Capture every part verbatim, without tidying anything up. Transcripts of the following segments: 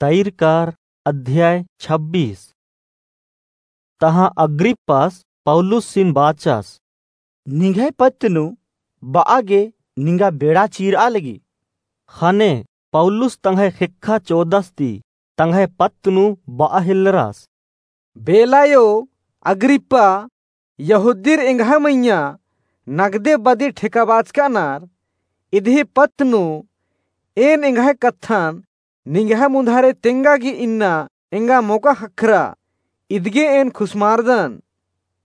तैरकार अध्याय छब्बीस। तहाँ अग्रिप्पास पौलुसिन बाचस, निंग्है पत्त नू ब'आ गे निंगा बेड़ा चीर'आ लगी। ख़ने पौलुस तंग्है ख़ेक्खा चोदस ती तंग्है पत्त नू ब'आ हेल्लरस। बेलायो अग्रिप्पा, यहूदीर एंग्है मइय्याँ नगदे बदी ठेकाबाचकानर, इदही पत्त नू एन एंग्है कत्थन निंग्है मुन्धारे तेंगा गे इन्ना एंगा मोका ख़क्खरा, इदगे एन खुसमारदन।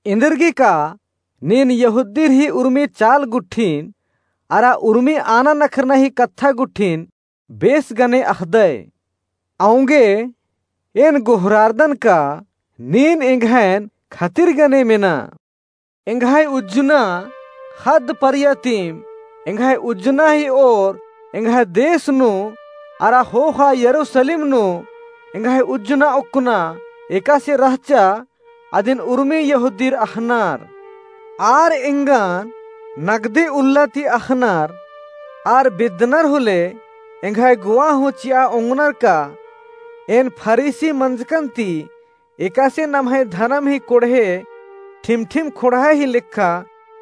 एन्देरगे का नीन यहूदीर ही उर्मी चाल गुट्ठिन अरा उर्मी आना नखरना ही कत्था गुट्ठिन बेस गने अख़दय। औंगे एन गोहरारदन का नीन एंग्हैन खतिर गने मेना। एंग्है उज्जना ख़द्द परिया तिम एंग्है उज्जना ही ओर एंग्है देस नू अरा ख़ोख़ा यरूसलेम नू एंग्है उज्जना ओक्कना एकासे रहचा अदिन उर्मी यहूदीर अख़नर। आर एंगन नगदे उल्ला ती अख़नर। आर बेद्दनर होले एंग्है गोवा हूँ चि'आ ओंगनर का एन फरीसी मंजकन ती एकासे नम्है धरम ही कोड़हे ठिमठिम खोंड़हा ही लेखा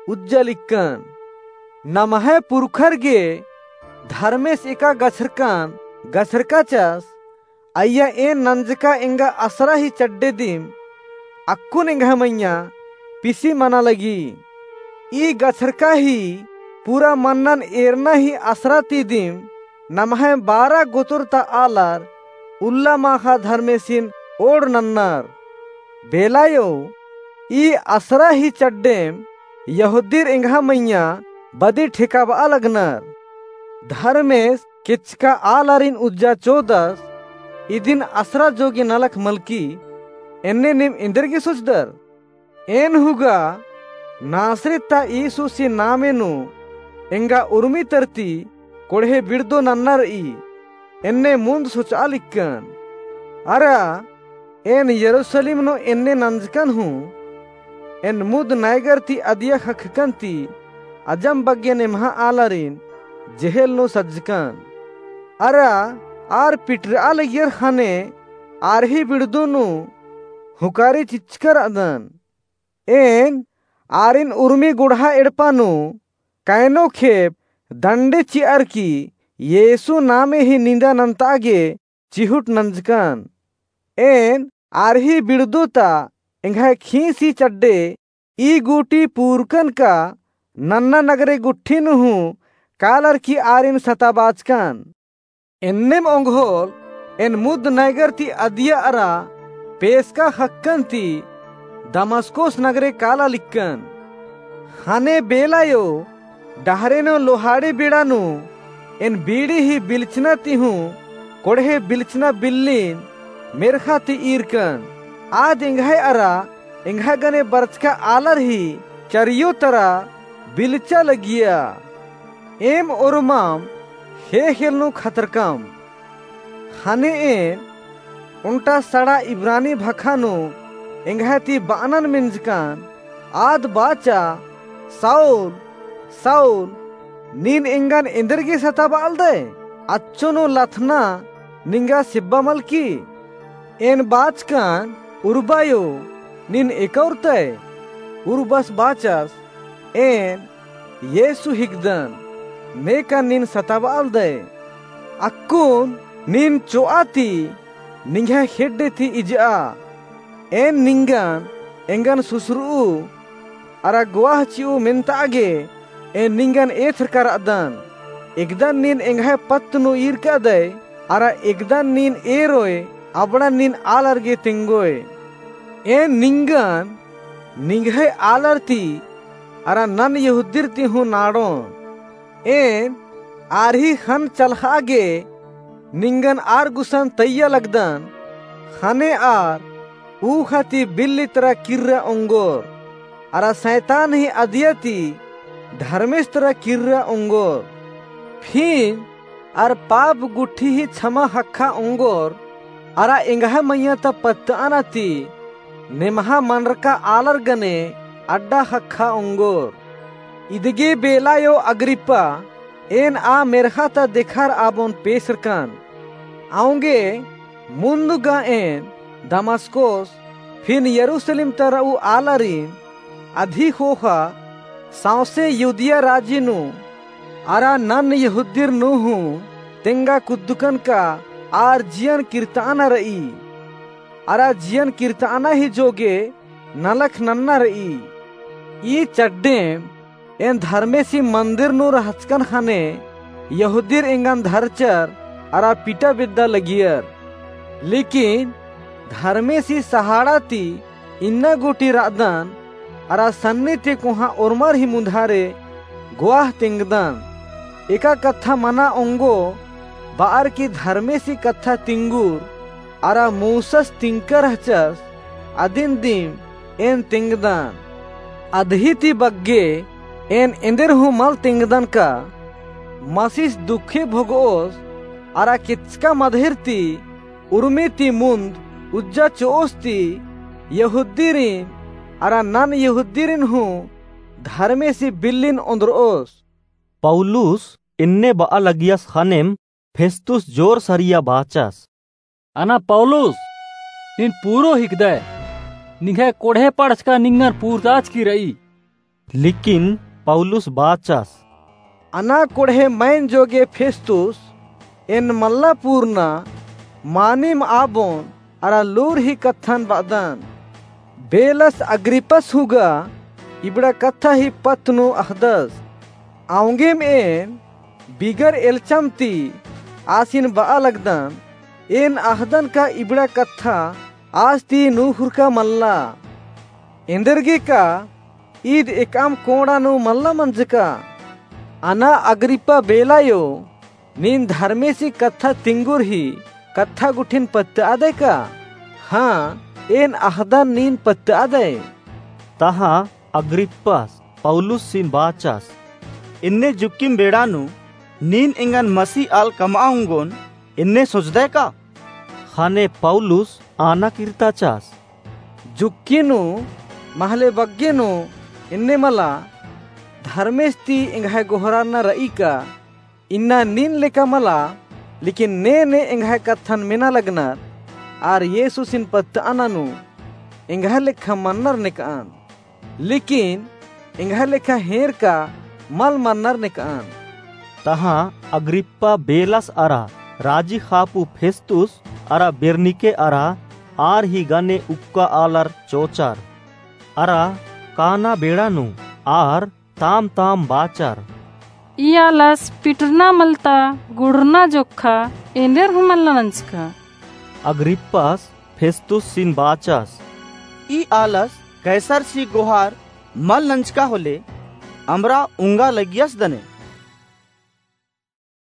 उज्जा लिक्कन। नम्है पुरखर गे धर्मेस एका गछरकन गछरकाचस, अइय्या एन नंजका एंगा असरा ही चड्डे दिम अक्कुन एंग्है मइय्याँ पिसी मना लगी। ई गछरका ही पूरा मन्नन एरना ही असरा ती दिम नम्है बारा गोतर ता आलर उल्ला माख़ा धर्मेसिन ओड़ नन्नर। बेलायो ई असरा ही चड्डेम यहूदीर एंग्है मइय्याँ बदी ठेकाब'आ लगनर। धर्मेस केचका आलारिन उज्जा चोदस, इदिन असरा जोगे नलख मलकी, एन्ने नीम एन्देरगे सोचदर? एन हूँ गा नासरेत ता यीशुसी नामे नू एंगा उर्मी तरती कोड़हे बिड़दो नन्ना र'ई, एन्ने मुन्द सोच'आ लिक्कन। अरा एन यरूसलेम नू एन्ने नंजकन हूँ, एन मुद नैगर ती अदिया ख़क्खकन ती अजम बग्गे नेम्हा आलारिन जेहेल नू सज्जकन। अरा आर पिटर'आ लगियर ख़ने आर ही बिड़दो नू हुंकारी चिच्चका र'अदन। एन आरिन उर्मी गोंड़हा एड़पा नू कैनो खेप दंडे चि'अर की यीशु नामे ही निंदा नन्त'आ गे चिहुट नंजकन। एन आर ही बिड़दो ता एंग्है खींस ही चड्डे ई गूटी पूरकन का नन्ना नगरे गुट्ठी नू हूँ कालर की आरिन सताबाचकन। एन्नेम ओंगोल एन मुद नैगर ती अदिया अरा पेसका ख़क्कन ती दमस्कोस नगरे काला लिक्कन। ख़ने बेलायो डहरे नू लोहाड़ी बेड़ा नू एन बीड़ी ही बिलचना ती हूँ कोड़हे बिलचना बिल्लिन मेर्ख़ा ती ईरकन। आद एंग्है अरा एंग्है गने बरचका आलर ही चरियो तरा बिलचा लगिया। एम ओर्माम ख़ेख़ेल नू खतरकम। ख़ने एन ओन्टा सड़ा इब्रानी भखा नू एंग्है ती ब'अनन मेंजकन, आद बाचा, "साऊल, साऊल, नीन एंगन एन्देरगे सताब'आलदय? अच्छो नू लथना निंगा सिब्बा मलकी।" एन बाचकन, "उर्बायो, नीन एका उरतय?" उर्बस बाचस, "एन येसु हिकदन, नेकन नीन सताब'आलदय। अक्कुन नीन चो'आ ती निंग्है खेड्डे ती इज'आ। एन निंगन एंगन सुसर'ऊ अरा गोवाह चि'ऊ मेन्त'आ गे एन निंगन एथरका र'अदन। एकदन नीन एंग्है पत्त नू ईरकादय अरा एकदन नीन एरोय अबड़न नीन आलर गे तेंगोय। एन निंगन निंग्है आलर ती अरा नन यहूदीर ती हूँ नाड़ोन। एन आर ही ख़न्न चलख़'आ गे निंगन आर गुसन तइय्या लगदन। ख़ने आर ऊख़ा ती बिल्ली तरा किर्रा ओंगोर, अरा सैतान ही अदिया ती धर्मेस तरा किर्रा ओंगोर। फिन आर पाप गुट्ठी ही छमा ख़क्खा ओंगोर, अरा एंग्है मइय्याँ ता पत्त'अना ती नेम्हा मनरका आलर गने अड्डा ख़क्खा ओंगोर। इदगे बेलायो अग्रिप्पा, एन आ मेर्ख़ा ता देखार'आबोन पेसरकन। औंगे मुन्द गा एन दमस्कोस फिन यरूसलेम तरऊ आलारिन अदी ख़ोख़ा सौंसे यहूदिया राजी नू अरा नन यहूदिर नू हूँ तेंगा कुद्दकन का आर जियन किर्ताना रई। अरा जियन किर्ताना ही जोगे नलख नन्ना रई। ई चड्डेम एन धर्मेसी मन्दिर नू रहचकन ख़ने यहूदिर एंगन धरचर अरा पिटा बेद्दा लगियर। लेकिन धर्मेसी सहाड़ा ती इन्ना गूटी रअदन अरा सन्नी ती कोहाँ ओर्मर ही मुन्धारे ग्वाह तेंगदन। एका कत्था मना ओंगो बअर की धर्मेसी कत्था तिंगुर अरा मूसस तिंकर रहचस अदिन दिम एन तेंगदन। अदही ती बग्गे एन एन्देर हूँ मल तेंगदन का मसीस दुखे भोगओस अरा केचका मदहिर ती उर्मी ती मुन्द उज्जा चिओस ती यहूदिरिन अरा नन यहूदिरिन हूँ धर्मेसी बिल्लिन ओन्द्रओस। पौलुस एन्ने बआ लगियस ख़नेम फेस्तुस जोर सरिया बाचस। अना पौलुस, नीन पूरो हिकदय, निंग्है कोड़हे पड़चका निंगन पूरताचकी रई। लेकिन पौलुस बाचस। अना कोड़हे मइन जोगे फेस्तुस, एन मल्ला पूरना, मानिम आबोन अरा लूर ही कत्थन बअदन। बेलस अग्रिप्पस हूँ गा इबड़ा कत्था ही पत्त नू अख़दस। औंगेम एन बिगर एल्चम ती आसिन बआ लगदन, एन अख़दन का इबड़ा कत्था आस ती नूख़ुरका मल्ला। एन्देरगे का ईद एकअम कोंड़ा नू मल्ला मंजका। अना अग्रिप्पा बेलायो, नीन धर्मेसी कत्था तिंगुर ही कत्था गुट्ठिन पत्तअदय का? हाँ, एन अख़दन नीन पत्तअदय। तहाँ अग्रिप्पास पौलुसिन बाचस। एन्ने जुक्किम बेड़ा नू नीन एंगन मसीह आल कमआ ओंगोन एन्ने सोचदय का? ख़ने पौलुस आना किर्ताचस। जुक्की नू महले बग्गे नू एन्ने मला, धर्मेस ती एंग्है गोहरारना रई का? इन्ना नीन लेका मला, लेकिन ने ने एंग्है कत्थन मेना लगनर, आर येसुसिन पत्तअना नू एंग्है लेखा मन्नर नेकअन। लेकिन एंग्है लेखा हेंरका मल मन्नर नेकअन। तहाँ अग्रिप्पा बेलस अरा राजी खापू फेस्तुस अरा बेरनिके अरा आर ही गने उक्का आलर चोचर। अरा काना बेड़ा नू आर ताम ताम बाचर। ई आलस पिटरना मलता गुड़रना जोक्खा एन्देर हूँ मल्ला नंजका। अग्रिप्पास फेस्तुसिन बाचस। ई आलस कैसरसी गोहार मल नंजका होले, अमरा उंगा लगियस दने।